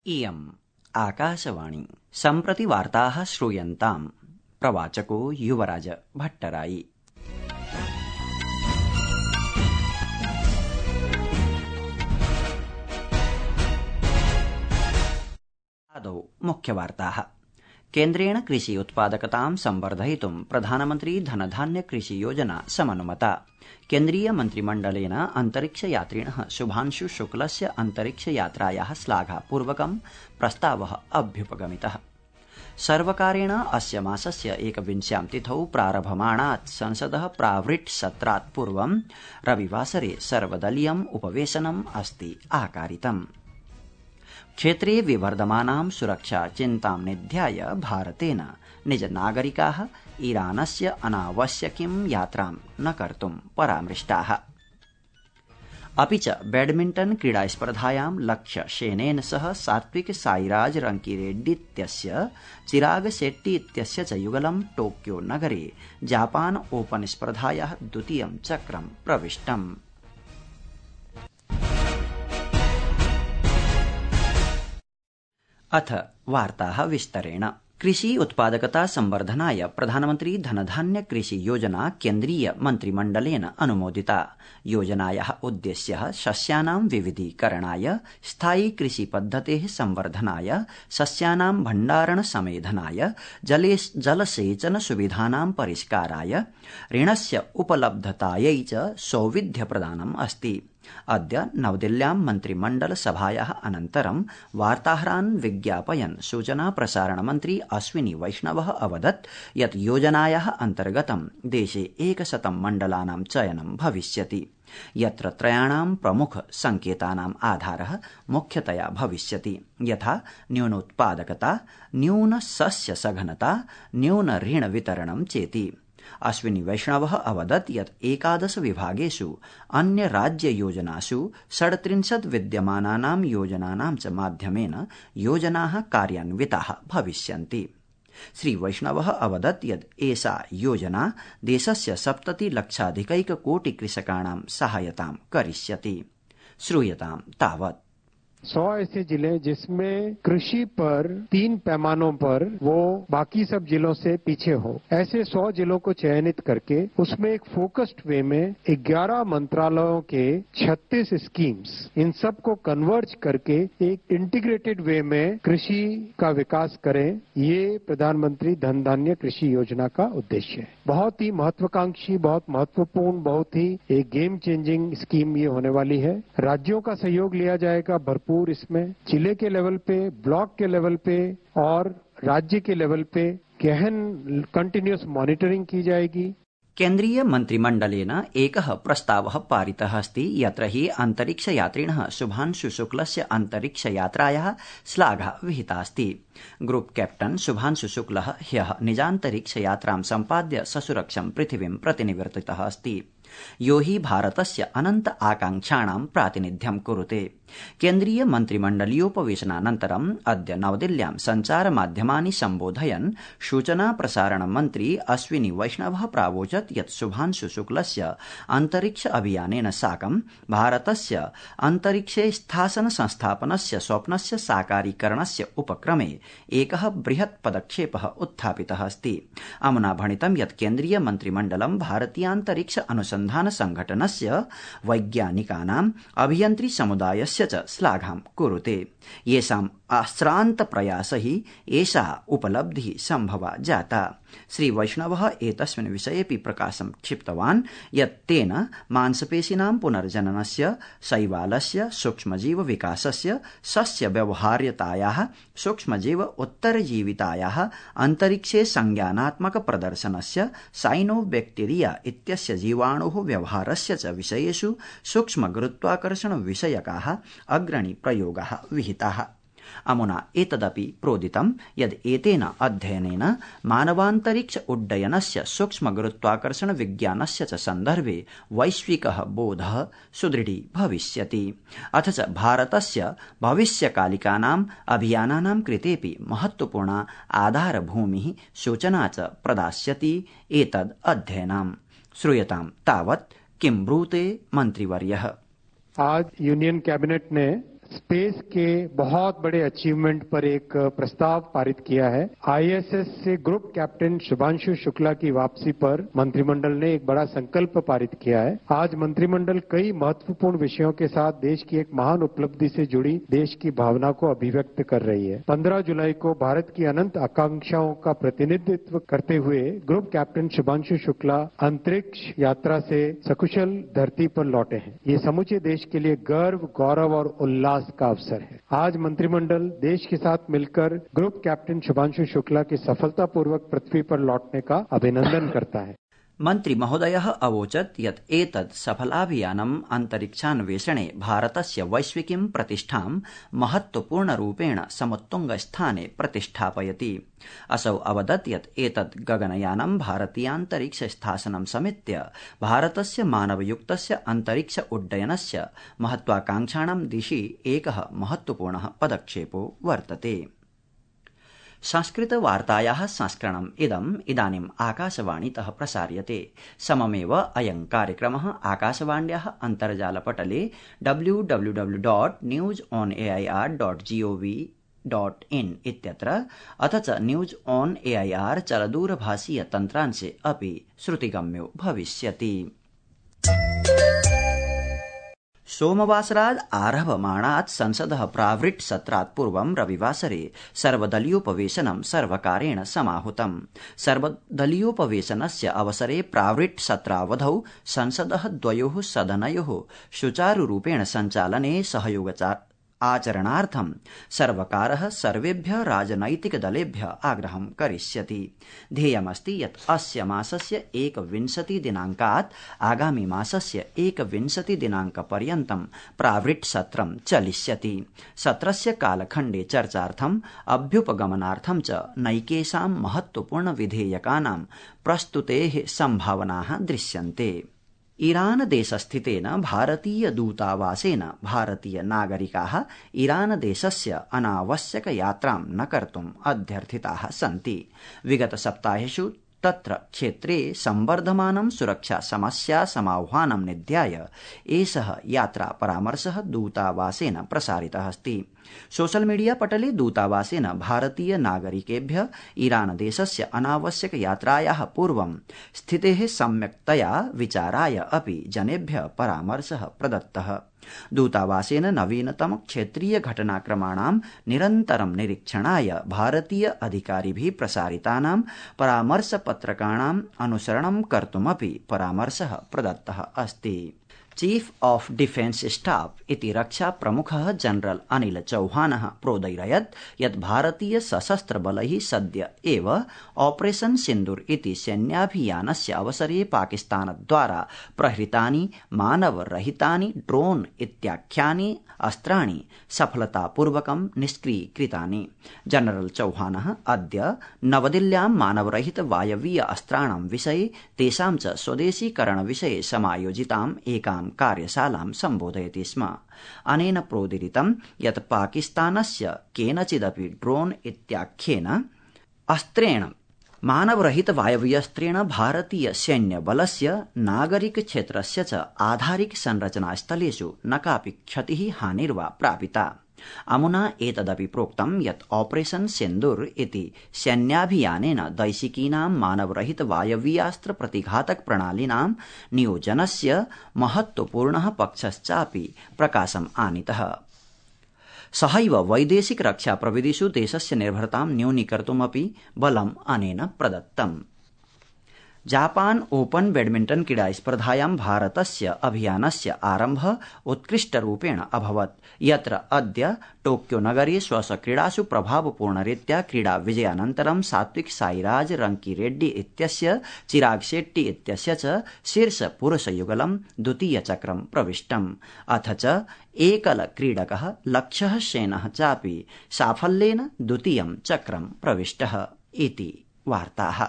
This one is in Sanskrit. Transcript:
इयम् आकाशवाणी। सम्प्रति वार्ताः श्रूयन्ताम्। प्रवाचको युवराज भट्टराई। आदौ मुख्यवार्ताः। केन्द्रेण कृषि उत्पादकतां संवर्धयितुं प्रधानमन्त्री धनधान्य कृषि योजना समनुमता। केन्द्रीय मन्त्रिमण्डलेन अन्तरिक्षयात्रिणः शुभांशु शुक्लस्य अन्तरिक्षयात्रायाः श्लाघापूर्वकं प्रस्तावः अभ्युपगमितः। सर्वकारेण अस्य मासस्य 21 तिथौ प्रारभमाणात् संसदः प्रावृट् सत्रात् पूर्वं रविवासरे सर्वदलीयम् उपवेशनम् अस्ति आकारितम्। क्षेत्रे विवर्धमानां सुरक्षा चिन्तां निध्याय भारतेन निज नागरिकाः ईरानस्य अनावश्यकीं यात्रां न कर्तुं परामृष्टाः। अपि च बैडमिण्टन् क्रीडास्पर्धायां लक्ष्य सेनेन सह सात्विक साईराज रंकीरेड्डीत्यस्य चिराग शेट्टी इत्यस्य च युगलं टोक्यो नगरे जापान ओपन स्पर्धायाः द्वितीयं चक्रं प्रविष्टम्। अथ वार्ताः विस्तरेण। कृषि उत्पादकता संवर्धनाय प्रधानमन्त्री धनधान्य कृषि योजना केन्द्रीय मन्त्रिमण्डलेन अनुमोदिता। योजनायाः उद्देश्यः सस्यानां विविधीकरणाय, स्थायी कृषि पद्धतेः संवर्धनाय, सस्यानां भण्डारण समेधनाय, जलसेचन सुविधानां परिष्काराय, ऋणस्य उपलब्धतायै च सौविध्यप्रदानम् अस्ति। अद्य नवदिल्ल्यां मन्त्रिमण्डल सभायाः अनन्तरं वार्ताहरान् विज्ञापयन् सूचना प्रसारण मन्त्री अश्विनी वैष्णवः अवदत् यत् योजनायाः अन्तर्गतं देशे 100 मण्डलानां चयनं भविष्यति, यत्र त्रयाणां प्रमुख संकेतानाम् आधारः मुख्यतया भविष्यति, यथा न्यूनोत्पादकता, न्यून सस्य सघनता, न्यून ऋण वितरणं चेति। अश्विनी वैष्णवः अवदत् यत् 11 विभागेषु अन्य राज्य योजनासु 37 विद्यमानानां योजनानां च माध्यमेन योजनाः कार्यान्विताः भविष्यन्ति। श्री वैष्णवः अवदत् यत् एषा योजना देशस्य 70 लक्षाधिकैक कोटि कृषकाणां सहायतां करिष्यति। श्रूयतां तावत्। 100 ऐसे जिले जिसमें कृषि पर 3 पैमानों पर वो बाकी सब जिलों से पीछे हो, ऐसे 100 जिलों को चयनित करके उसमें एक फोकस्ड वे में 11 मंत्रालयों के 36 स्कीम्स, इन सब को कन्वर्ज करके एक इंटीग्रेटेड वे में कृषि का विकास करें, ये प्रधानमंत्री धन धान्य कृषि योजना का उद्देश्य है। बहुत ही महत्वाकांक्षी, बहुत महत्वपूर्ण, बहुत ही एक गेम चेंजिंग स्कीम ये होने वाली है। राज्यों का सहयोग लिया जाएगा भरपूर इसमें, जिले के लेवल पे, ब्लॉक के लेवल पे और राज्य के लेवल पे गहन कंटिन्यूअस मॉनिटरिंग की जाएगी। केन्द्रीय मन्त्रिमण्डलेन एकः प्रस्तावः पारितः अस्ति, यत्र हि अन्तरिक्षयात्रिणः शुभांशु शुक्लस्य अन्तरिक्षयात्रायाः श्लाघा विहितास्ति। ग्रुप कैप्टन शुभांशु शुक्लः ह्यः निजान्तरिक्षयात्रां सम्पाद्य ससुरक्षं पृथिवीं प्रतिनिवर्तितः अस्ति, यो हि भारतस्य अनन्त आकांक्षाणां प्रातिनिध्यं कुरुते। केन्द्रीय मन्त्रिमण्डलीयोपवेशनानन्तरम् अद्य नवदिल्ल्यां सञ्चारमाध्यमानि सम्बोधयन् सूचना प्रसारण मन्त्री अश्विनी वैष्णवः प्रावोचत् यत् शुभांशु शुक्लस्य अन्तरिक्ष अभियानेन साकं भारतस्य अन्तरिक्षे स्थासन संस्थापनस्य स्वप्नस्य साकारीकरणस्य उपक्रमे एकः बृहत् पदक्षेपः उत्थापितः अस्ति। अमुना भणितं यत् केन्द्रीय मन्त्रिमण्डलं भारतीयान्तरिक्ष अनुसन्धान संघटनस्य वैज्ञानिकानाम् अभियन्त्री समुदायस्य च श्लाघां कुरुते, येषाम् आश्रान्त प्रयासैः एषा उपलब्धिः सम्भवा जाता। श्री वैष्णवः एतस्मिन् विषयेऽपि प्रकाशं क्षिप्तवान् यत् तेन मांसपेशीनां पुनर्जननस्य, शैवालस्य, सूक्ष्मजीव विकासस्य, सस्य व्यवहार्यतायाः, सूक्ष्मजीव उत्तरजीवितायाः, अन्तरिक्षे संज्ञानात्मक प्रदर्शनस्य, साइनोबैक्टीरिया इत्यस्य जीवाणुः व्यवहारस्य च विषयेषु सूक्ष्म गुरुत्वाकर्षण विषयकाः अग्रणी प्रयोगाः विहिताः। अमुना एतदपि प्रोदितं यद् एतेन अध्ययनेन मानवान्तरिक्ष उड्डयनस्य सूक्ष्म गुरुत्वाकर्षण विज्ञानस्य च सन्दर्भे वैश्विकः बोधः सुदृढी भविष्यति। अथ च भारतस्य भविष्यकालिकानाम् अभियानानां कृतेऽपि महत्वपूर्णा आधारभूमिः सूचना च प्रदास्यति एतद् अध्ययनम्। श्रूयतां तावत् किं ब्रूते मन्त्रिवर्यः। आज यूनियन कैबिनेट ने स्पेस के बहुत बड़े अचीवमेंट पर एक प्रस्ताव पारित किया है। आईएसएस से ग्रुप कैप्टन शुभांशु शुक्ला की वापसी पर मंत्रिमंडल ने एक बड़ा संकल्प पारित किया है। आज मंत्रिमंडल कई महत्वपूर्ण विषयों के साथ देश की एक महान उपलब्धि से जुड़ी देश की भावना को अभिव्यक्त कर रही है। 15 जुलाई को भारत की अनंत आकांक्षाओं का प्रतिनिधित्व करते हुए ग्रुप कैप्टन शुभांशु शुक्ला अंतरिक्ष यात्रा से सकुशल धरती पर लौटे हैं। ये समूचे देश के लिए गर्व, गौरव और उल्लास का अवसर है। आज मंत्रिमंडल देश के साथ मिलकर ग्रुप कैप्टन शुभांशु शुक्ला के सफलतापूर्वक पृथ्वी पर लौटने का अभिनंदन करता है। मन्त्री महोदयः अवोचत् यत् एतत् सफलाभियानम् अन्तरिक्षान्वेषणे भारतस्य वैश्विकीं प्रतिष्ठां महत्वपूर्णरूपेण समुत्तुङ्गस्थाने प्रतिष्ठापयति। असौ अवदत् यत् एतत् गगनयानं भारतीयान्तरिक्ष स्थासनं समेत्य भारतस्य मानवयुक्तस्य अन्तरिक्ष उड्डयनस्य महत्वाकांक्षाणां दिशि एकः महत्वपूर्णः पदक्षेपो वर्तते। संस्कृतवार्तायाः संस्करणम् इदानीम् आकाशवाणीतः प्रसार्यते। सममेव अयं कार्यक्रमः आकाशवाण्याः अन्तर्जालपटले www.newsonair.gov.in इत्यत्र अथ च न्यूज ऑन एआईआर चलदूरभाषीय तन्त्रांशे अपि श्रुतिगम्यो भविष्यति। सोमवासरात् आरभमाणात् संसदः प्रावृट् सत्रात् पूर्वं रविवासरे सर्वदलीयोपवेशनं सर्वकारेण समाहूतम्। सर्वदलीयोपवेशनस्य अवसरे प्रावृट् सत्रावधौ संसदः द्वयोः सदनयोः सुचारुरूपेण सञ्चालने आचरणार्थं सर्वकारः सर्वेभ्यः राजनैतिकदलेभ्यः आग्रहं करिष्यति। ध्येयमस्ति यत् अस्य मासस्य 21 दिनाङ्कात् आगामि मासस्य 21 दिनाङ्कपर्यन्तं प्रावृट् सत्रं चलिष्यति। सत्रस्य कालखण्डे चर्चार्थम् अभ्युपगमनार्थं च नैकेषां महत्वपूर्णविधेयकानां प्रस्तुतेः सम्भावनाः दृश्यन्ते। ईरान देशस्थितेन भारतीय दूतावासेन भारतीय नागरिकाः ईरान देशस्य अनावश्यक यात्रां न कर्तुम् अध्यर्थिताः सन्ति। विगत सप्ताहेषु तत्र क्षेत्रे संवर्धमानं सुरक्षा समस्या समाह्वानं निध्याय एषः यात्रा परामर्शः दूतावासेन प्रसारितः अस्ति। सोशल मीडिया पटले दूतावासेन भारतीय नागरिकेभ्यः ईरान देशस्य अनावश्यक यात्रायाः पूर्वं स्थितेः सम्यक्तया विचाराय अपि जनेभ्यः परामर्शः प्रदत्तः। दूतावासेन नवीनतम क्षेत्रीय घटनाक्रमाणां निरन्तरं निरीक्षणाय भारतीय अधिकारिभिः प्रसारितानां परामर्शपत्रकाणाम् अनुसरणं कर्तुमपि परामर्शः प्रदत्तः अस्ति। चीफ ऑफ डिफेन्स स्टाफ इति रक्षा प्रमुखः जनरल अनिल चौहानः प्रोदैरयत् यत् भारतीय सशस्त्र बलैः सद्य एव ऑपरेशन सिन्दूर इति सैन्याभियानस्य अवसरे पाकिस्तानद्वारा प्रहृतानि मानवरहितानि ड्रोन इत्याख्यानि अस्त्राणि सफलतापूर्वकं निष्क्रीकृतानि। जनरल चौहानः अद्य नवदिल्ल्यां मानवरहित वायवीय अस्त्राणां विषये तेषां च स्वदेशीकरण विषये समायोजिताम् एकां कार्यशालां सम्बोधयति स्म। अनेन प्रोदीरितं यत् पाकिस्तानस्य केनचिदपि ड्रोन इत्याख्येन अस्त्रेण मानवरहित वायवीयस्त्रेण भारतीय सैन्यबलस्य नागरिक क्षेत्रस्य च आधारिक संरचनास्थलेषु न कापि क्षतिः हानिर्वा प्रापिता। अमुना एतदपि प्रोक्तं यत् ऑपरेशन सिन्दूर इति सैन्याभियानेन दैशिकीनां मानवरहित वायवीयास्त्र प्रतिघातक प्रणालीनां नियोजनस्य महत्वपूर्णः पक्षश्चापि प्रकाशम् आनीतः। सहैव वैदेशिक रक्षा प्रविधिषु देशस्य निर्भरतां न्यूनीकर्तुमपि बलम् अनेन प्रदत्तम्। जापान ओपन बैडमिंटन क्रीडा स्पर्धायां भारतस्य अभियानस्य आरम्भः उत्कृष्टरूपेण अभवत्, यत्र अद्य टोक्यो नगरे स्वस्वक्रीडासु प्रभावपूर्णरीत्या क्रीडा विजयानन्तरं सात्विक साईराज रंकीरेड्डी इत्यस्य चिराग शेट्टी इत्यस्य च शीर्ष पुरुषयुगलं द्वितीयचक्रं प्रविष्टम्। अथ च एकल क्रीडकः लक्ष्यः सेनः चापि साफल्येन द्वितीयं चक्रं प्रविष्टः इति वार्ताः।